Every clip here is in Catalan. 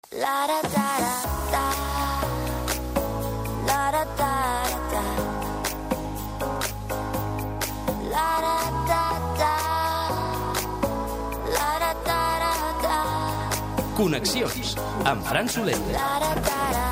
La da da da da, la da da da, la da da da, la da da da. Connexions amb Fran Soler. La da da da.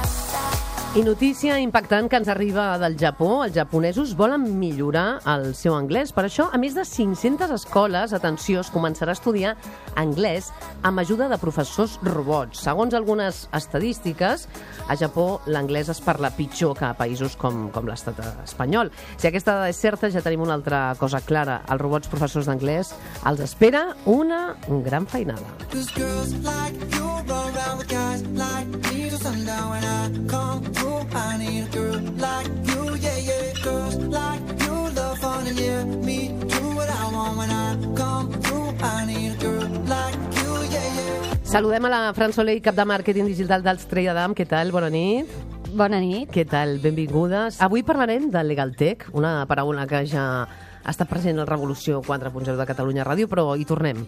I notícia impactant que ens arriba del Japó. Els japonesos volen millorar el seu anglès. Per això, a més de 500 escoles, atenció, es començarà a estudiar anglès amb ajuda de professors robots. Segons algunes estadístiques, a Japó l'anglès es parla pitjor que a països com l'estat espanyol. Si aquesta dada és certa, ja tenim una altra cosa clara. Els robots professors d'anglès els espera una gran feinada. Cause girls like you run around with guys like me till sundown. When I come through, I need a girl like you, yeah, yeah. Girls like you love fun and yeah, me do what I want. When I come through, I need a girl like you, yeah, yeah. Saludem a la Fran Soler, cap de màrqueting digital d'Alstria Damm. Què tal? Bona nit. Bona nit. Què tal? Benvingudes. Avui parlarem de LegalTech, una paraula que ja ha estat present a Revolució 4.0 de Catalunya Ràdio, però hi tornem.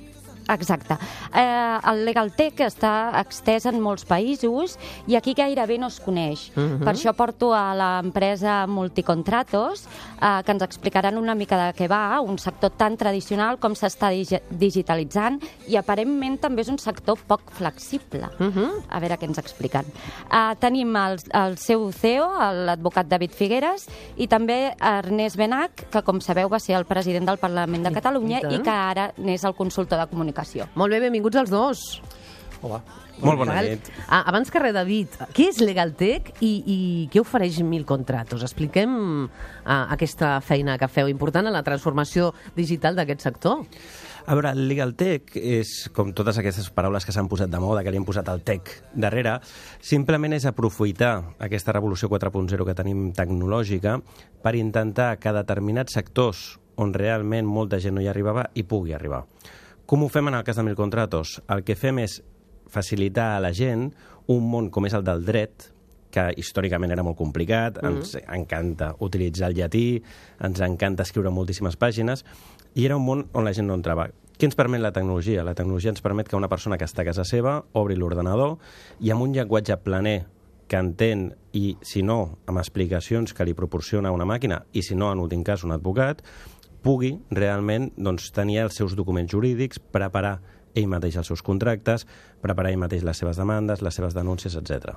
Exacte. El LegalTech està extès en molts països i aquí gairebé no es coneix. Per això porto a l'empresa Multicontratos, que ens explicaran una mica de què va, un sector tan tradicional com s'està digitalitzant i aparentment també és un sector poc flexible. A veure què ens expliquen. Tenim el seu CEO, l'advocat David Figueres, i també Ernest Benach, que com sabeu va ser el president del Parlament de Catalunya i que ara n'és el consultor de comunicació. Molt bé, benvinguts els dos. Hola. Molt bona nit. Abans que res, David, què és LegalTech i què ofereix Multicontratos? Expliquem aquesta feina que feu important en la transformació digital d'aquest sector. A veure, LegalTech és, com totes aquestes paraules que s'han posat de moda, que li han posat el tech darrere, simplement és aprofitar aquesta revolució 4.0 que tenim tecnològica per intentar que determinats sectors on realment molta gent no hi arribava hi pugui arribar. Com ho fem en el cas de Multicontratos? El que fem és facilitar a la gent un món com és el del dret, que històricament era molt complicat, ens encanta utilitzar el llatí, ens encanta escriure moltíssimes pàgines, i era un món on la gent no entrava. Què ens permet la tecnologia? La tecnologia ens permet que una persona que està a casa seva obri l'ordenador i amb un llenguatge planer que entén i, si no, amb explicacions que li proporciona una màquina i, si no, en últim cas, un advocat, pugui realment tenir els seus documents jurídics, preparar ell mateix els seus contractes, preparar ell mateix les seves demandes, les seves denúncies, etc.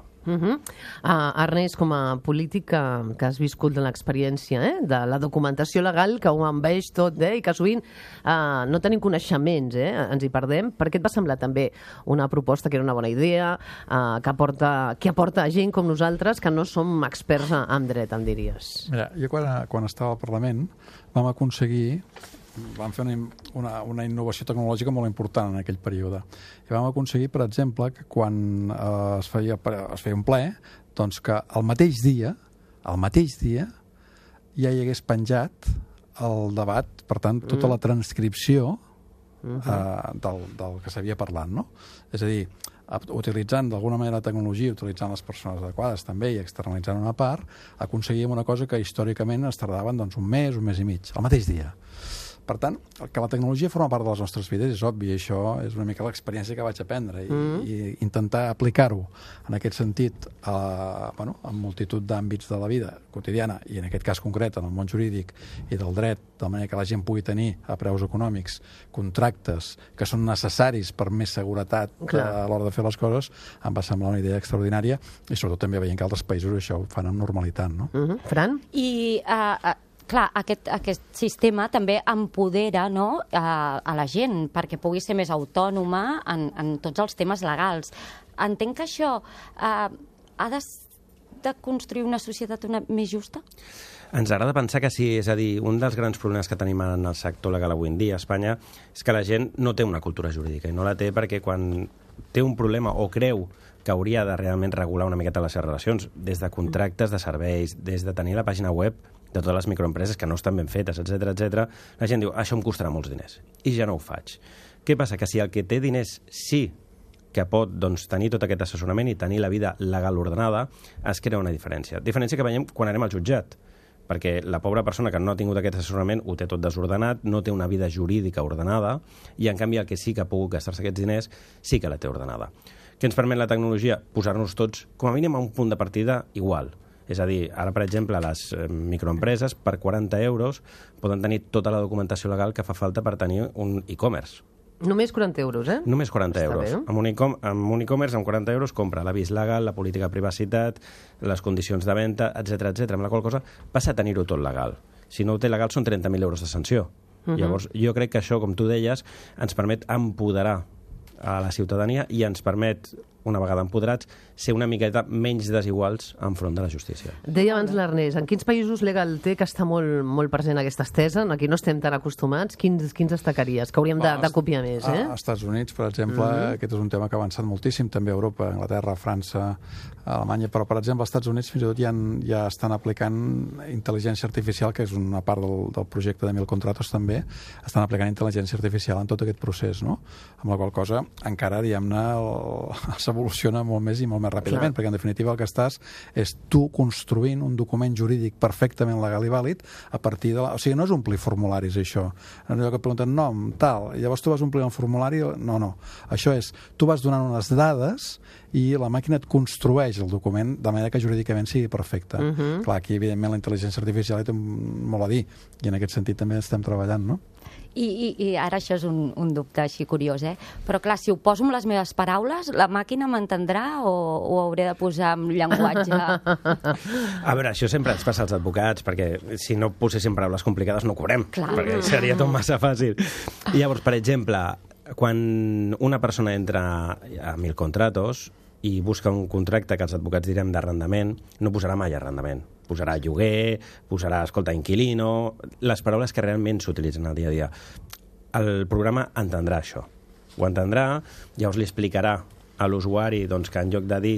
Ernest, com a polític que has viscut de l'experiència de la documentació legal, que ho envaeix tot i que sovint no tenim coneixements, ens hi perdem. Per què et va semblar també una proposta que era una bona idea, que aporta gent com nosaltres que no som experts en dret, em diries? Mira, jo quan estava al Parlament vam fer una innovació tecnològica molt important en aquell període. I vam aconseguir, per exemple, que quan es feia un ple, doncs que el mateix dia, ja hi hagués penjat el debat, per tant, tota la transcripció del que s'havia parlat, no? És a dir, utilitzant d'alguna manera la tecnologia, utilitzant les persones adequades també i externalitzant una part, aconseguíem una cosa que històricament es tardaven un mes i mig, el mateix dia. Per tant, que la tecnologia forma part de les nostres vides és obvi, i això és una mica l'experiència que vaig aprendre i intentar aplicar-ho en aquest sentit en multitud d'àmbits de la vida quotidiana i en aquest cas concret en el món jurídic i del dret, de manera que la gent pugui tenir a preus econòmics contractes que són necessaris per més seguretat a l'hora de fer les coses, em va semblar una idea extraordinària i sobretot també veient que altres països això ho fan amb normalitat, no? Fran? I clar, aquest sistema també empodera a la gent perquè pugui ser més autònoma en tots els temes legals. Entenc que això ha de construir una societat més justa? Ens agrada pensar que sí, és a dir, un dels grans problemes que tenim en el sector legal avui en dia a Espanya és que la gent no té una cultura jurídica i no la té perquè quan té un problema o creu que hauria de realment regular una miqueta les seves relacions, des de contractes de serveis, des de tenir la pàgina web de totes les microempreses que no estan ben fetes, etc. La gent diu, això em costarà molts diners, i ja no ho faig. Què passa? Que si el que té diners sí que pot tenir tot aquest assessorament i tenir la vida legal ordenada, es crea una diferència. Diferència que veiem quan anem al jutjat, perquè la pobra persona que no ha tingut aquest assessorament ho té tot desordenat, no té una vida jurídica ordenada, i en canvi el que sí que ha pogut gastar-se aquests diners sí que la té ordenada. Què ens permet la tecnologia? Posar-nos tots, com a mínim, a un punt de partida igual. És a dir, ara, per exemple, les microempreses, per 40 euros, poden tenir tota la documentació legal que fa falta per tenir un e-commerce. Només 40 euros, eh? Només 40 Està euros. bé. Amb un e-commerce, amb 40 euros, compra l'avís legal, la política de privacitat, les condicions de venda, etc etc. Amb la qual cosa passa a tenir-ho tot legal. Si no ho té legal són 30.000 euros de sanció. Llavors, jo crec que això, com tu deies, ens permet empoderar a la ciutadania i ens permet, una vegada empoderats, ser una miqueta menys desiguals enfront de la justícia. Deia abans l'Ernest, en quins països LegalTech està molt present aquesta estesa? Aquí no estem tan acostumats. Quins destacaries? Que hauríem de copiar més, eh? Als Estats Units, per exemple, aquest és un tema que ha avançat moltíssim, també a Europa, Anglaterra, França, Alemanya, però, per exemple, als Estats Units fins i tot ja estan aplicant intel·ligència artificial, que és una part del projecte de 1000 contratos també, estan aplicant intel·ligència artificial en tot aquest procés, no? Amb la qual cosa encara, diguem-ne, s'evoluciona molt més i molt més ràpidament, perquè en definitiva el que estàs és tu construint un document jurídic perfectament legal i vàlid a partir de O sigui, no és omplir formularis, això. En allò que et pregunten nom, tal, i llavors tu vas omplir el formulari... No. Això és, tu vas donant unes dades i la màquina et construeix el document de manera que jurídicament sigui perfecte. Clar, aquí, evidentment, la intel·ligència artificial hi té molt a dir, i en aquest sentit també estem treballant, no? I ara això és un dubte així curiós, eh? Però clar, si ho poso amb les meves paraules, la màquina m'entendrà o ho hauré de posar amb llenguatge? A veure, això sempre ens passa als advocats, perquè si no poséssim paraules complicades no ho cobrem, perquè seria tot massa fàcil. I llavors, per exemple, quan una persona entra a 1000 contratos i busca un contracte que els advocats direm d'arrendament, no posarà mai arrendament. Posarà lloguer, posarà, escolta, inquilino, les paraules que realment s'utilitzen al dia a dia. El programa entendrà això. Ho entendrà, llavors li explicarà a l'usuari doncs, que en lloc de dir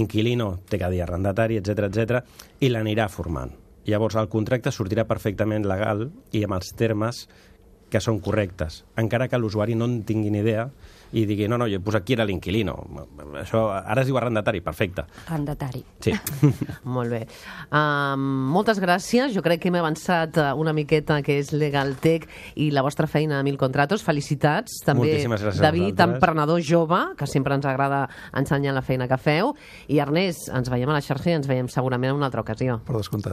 inquilino té que dir arrendatari, etc i l'anirà formant. Llavors el contracte sortirà perfectament legal i amb els termes que són correctes, encara que l'usuari no en tingui ni idea i digui, no, jo he posat aquí era l'inquilino. Això ara es diu arrendatari, perfecte. Arrendatari. Sí. Molt bé. Moltes gràcies. Jo crec que hem avançat una miqueta que és LegalTech i la vostra feina a 1000 contratos. Felicitats. També, moltíssimes gràcies a David, vosaltres. emprenedor jove, que sempre ens agrada ensenyar la feina que feu. I Ernest, ens veiem a la xarxa i ens veiem segurament en una altra ocasió. Per descomptat.